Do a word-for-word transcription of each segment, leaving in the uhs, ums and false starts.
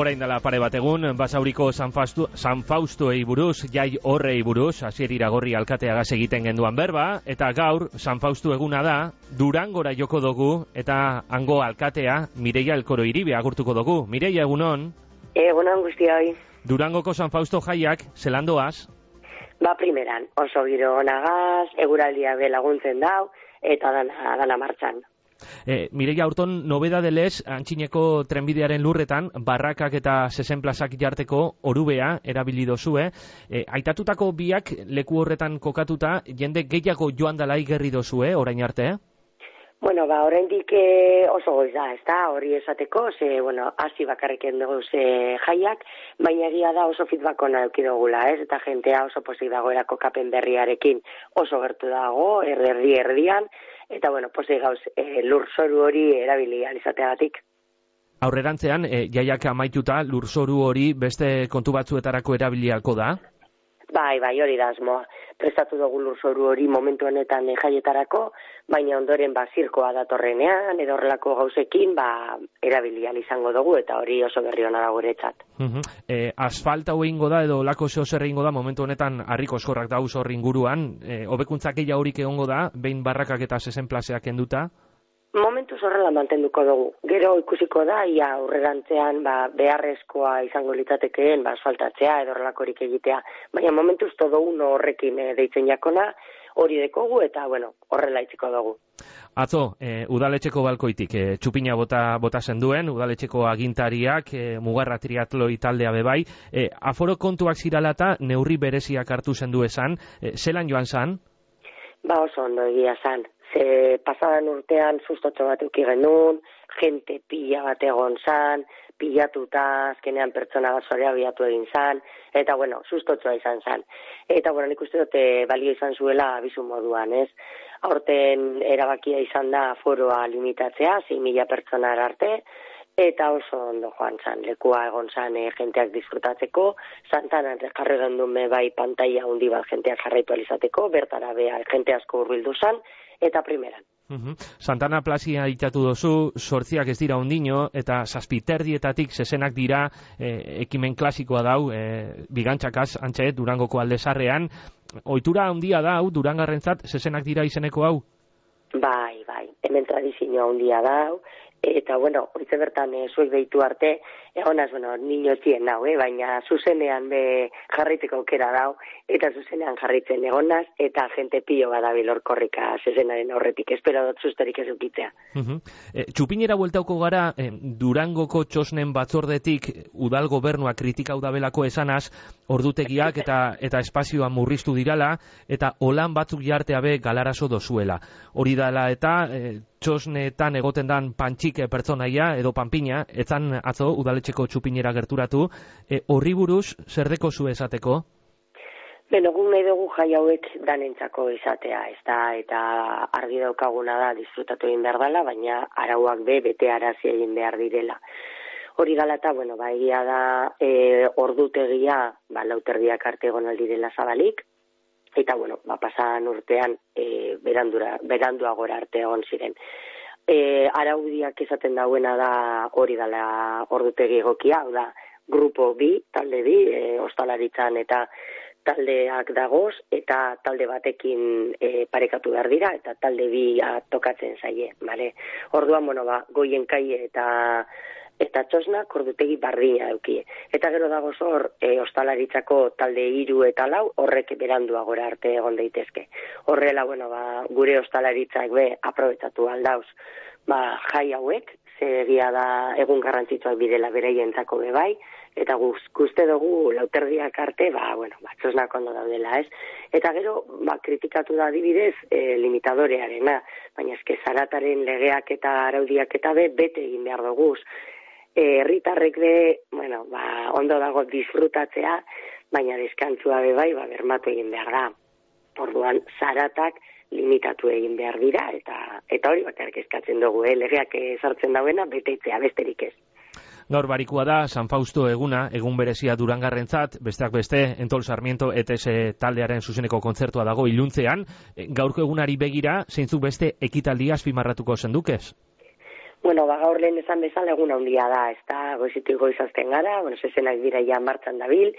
Orain dela pare bat egun, Basauriko San Fausto, San Faustoei buruz, jai horrei buruz, Asier Iragorri alkateagaz egiten genduan berba, eta gaur, San Fausto eguna da, Durangora joko dugu, eta hango alkatea, Mireia Elkoro Iribe agurtuko dugu. Mireia, egunon? Egunon guztioi. Durangoko San Fausto jaiak, zelandoaz? Ba, primeran, oso giro onagaz, eguraldia be laguntzen dau, eta dana, dana martxan. E, Mireia, aurton nobedadelez, antxineko trenbidearen lurretan, barrakak eta zezenplazak jarteko orubea erabili dozue. E, aitatutako biak leku horretan kokatuta, jende gehiago joan dala igerri dozue, orain arte? Bueno, ba, oraindik eh, oso goiz da, ez da, hori esateko, ze, bueno, hasi bakarriken dugu ze jaiak, baina egia da oso feedback ona eduki dugula, ez, eta jentea oso posik dagoela kokapen berriarekin oso gertu dago, erdi erdian, eta, bueno, posik gauz e, lurzoru hori erabili alizateagatik. Aurrerantzean, e, jaiak amaituta, lurzoru hori beste kontu batzuetarako erabiliako da? Bai, bai, hori da asmoa. Prestatu dugu lurzoru hori momentu honetan e, jaietarako, baina ondoren ba zirkoa datorrenean, edo horrelako gauzekin, ba erabili ahal izango dugu, eta hori oso berri ona da guretzat. Uh-huh. E, asfalta egingo da, edo lako zeo zer egingo da, momentu honetan harriko eskorrak dauz hor inguruan, e, hobekuntzak gehiago horik egongo da, behin barrakak eta zezenplazeak kenduta? Momentuz horrela mantenduko dugu. Gero ikusiko da, ia aurrerantzean ba, beharrezkoa izango litzatekeen ba, asfaltatzea edo horrelakorik egitea. Baina momentuz todo uno horrekin e, deitzen jakona, hori dekogu eta bueno, horrela itziko dugu. Atzo, e, udaletxeko balkoitik, e, txupina bota, bota zenduen, udaletxeko agintariak, e, Mugarra Triatloi taldea bebai, e, aforo kontuak ziralata neurri bereziak hartu zendu esan, e, zelan joan zan? Ba oso ondo egia zan. Ze pasadan urtean sustotxo bat euki genuen, jente pila bat egon zan, pilatuta, azkenean pertsona gazorea biatu egin zan, eta bueno, sustotxoa izan zan. Eta bueno, nik uste dute balio izan zuela abizu moduan, ez? Aurten erabakia izan da foroa limitatzea, sei mila pertsona arte, eta oso ondo joan zan, lekua egon zan e, jenteak disfrutatzeko, Santanan jarri gendun me bai pantaila handi bat jenteak jarraitu alizateko, bertara bea jente asko hurbildu zan, eta primeran. Uh-huh. Santana plazia itatu dozu, sortziak ez dira ondino, eta zazpiterdietatik zezenak dira e, ekimen klasikoa dau, e, bigantzakaz, antxe, Durangoko aldezarrean. Ohitura handia da, hau, Durangarrentzat, zezenak dira izeneko hau? Bai, bai, hemen tradizioa handia dau, eta, bueno, horitze bertan e, zuek behitu arte, egonaz, bueno, niñotien nau, eh? Baina zuzenean be jarraiteko aukera dau, eta zuzenean jarraitzen egonaz, eta jente pilo badabil horkorrika zezenaren aurretik, espero dut sustorik ez ukitzea. Uh-huh. e, Txupinera bueltauko gara, e, Durangoko txosnen batzordetik udal gobernua kritikau dabelako esanaz, ordutegiak eta eta espazioa murriztu dirala, eta olan batzuk jartea be galarazo dozuela. Hori dela eta e, txosnetan egoten dan pantxik pertsonaia edo panpina, etzan atzo udaletxeko txupinera gerturatu, e, horri buruz zer deko zu esateko? Beno, gu nahi dugu jai hauek danentzako izatea, ez da, eta argi daukaguna da disfrutatu egin behar dela, baina arauak be bete arazi egin behar direla. Hori galata, bueno, ba, egia da e, ordutegia, ba, lauterdiak arte egon aldirela zabalik, eta, bueno, ba, pasan urtean e, berandura, berandua gora arte egon ziren. E, araudiak izaten dauena da hori dela ordutegi egokia, hau da, grupo bi, talde bi, e, ostalaritzan eta taldeak dagoz, eta talde batekin e, parekatu behar dira, eta talde bi tokatzen zaie, bale? Orduan, bueno, ba, goien kai eta eta txosnak ordutegi bardina edukie. Eta gero dago zor, e, ostalaritzako talde hiru eta lau, horrek berandua gora arte egon daitezke. Horrela, bueno, ba, gure ostalaritzak be aprobetatu aldauz, ba, jai hauek, ze egia da egun garrantzitsuak bidela bereientzako be bai, eta guzti dugu lauterdiak arte, ba, bueno, ba, txosnak ondo daudela, ez? Eta gero, ba, kritikatu da adibidez e, limitadorearena, baina eske zarataren legeak eta araudiak eta be, bete egin behar duguz. Herritarrek be, bueno, ba, ondo dago disfrutatzea, baina deskantzua be bai, ba, bermatu egin behar da. Orduan, zaratak limitatu egin behar dira, eta eta hori bakarrik eskatzen dugu, eh? Legeak sartzen dauena, betetzea, besterik ez. Gaur barikua da, San Fausto eguna, egun berezia Durangarrentzat, besteak beste, Entol Sarmiento E T S taldearen zuzeneko kontzertua dago iluntzean. Gaurko egunari begira, zeintzuk beste ekitaldia azpimarratuko zendukez? Bueno, ba, gaur lehen esan bezala egun handia da, ez da, goizitik goizazten gara, bueno, zezenak dira ja martxan dabil,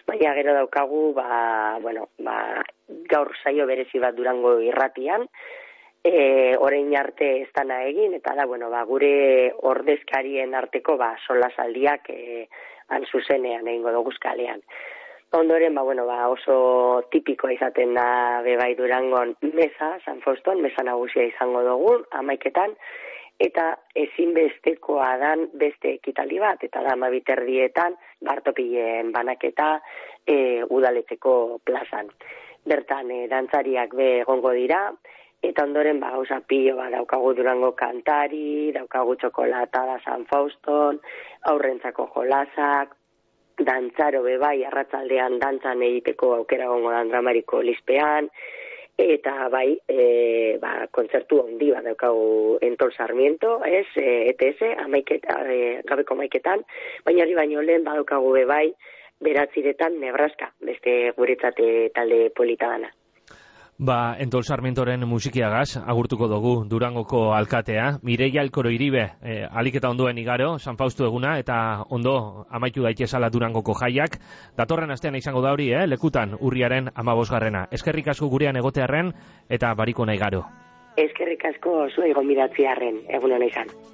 baina gero daukagu, ba, bueno, ba, gaur saio berezi bat Durango irratian, e, orain arte ez dana egin, eta da, bueno, ba, gure ordezkarien arteko, ba, solasaldiak e, han zuzenean egingo doguz kalean. Ondoren, ba, bueno, ba, oso tipikoa izaten da bebai Durangon meza, San Fauston, meza nagusia izango dugu, amaiketan, eta ezinbestekoa dan beste ekitaldi bat, eta da amabiterdietan bartopilen banaketa e, udaletxeko plazan. Bertan, e, dantzariak be egongo dira, eta ondoren ba, gauza pilo ba, daukagu Durango kantari, daukagu txokolata da San Fauston, aurrentzako jolasak, dantzaro bebai arratzaldean dantzan egiteko aukera gongo da Andramariko Lispean, eta bai, e, ba, kontzertu handi bat daukagu Entol Sarmiento, ez, E T S, amaiket, e, gabeko maiketan, baina hori baino lehen badaukagu be bai, beratziretan Nebraska, beste guretzate talde polita dana. Ba, Entol Sarmientoren musikiagaz, agurtuko dugu Durangoko alkatea, Mireia Alkoro Iribe, eh, alik eta ondoen igaro, San Faustu eguna, eta ondo amaitu daitezala Durangoko jaiak, datorren astean izango da hori, eh, lekutan, urriaren amabosgarrena. Eskerrik asko gurean egotearren, eta bariko nahi garo. Eskerrik asko zuei gonbidatziarren, egun hona izan.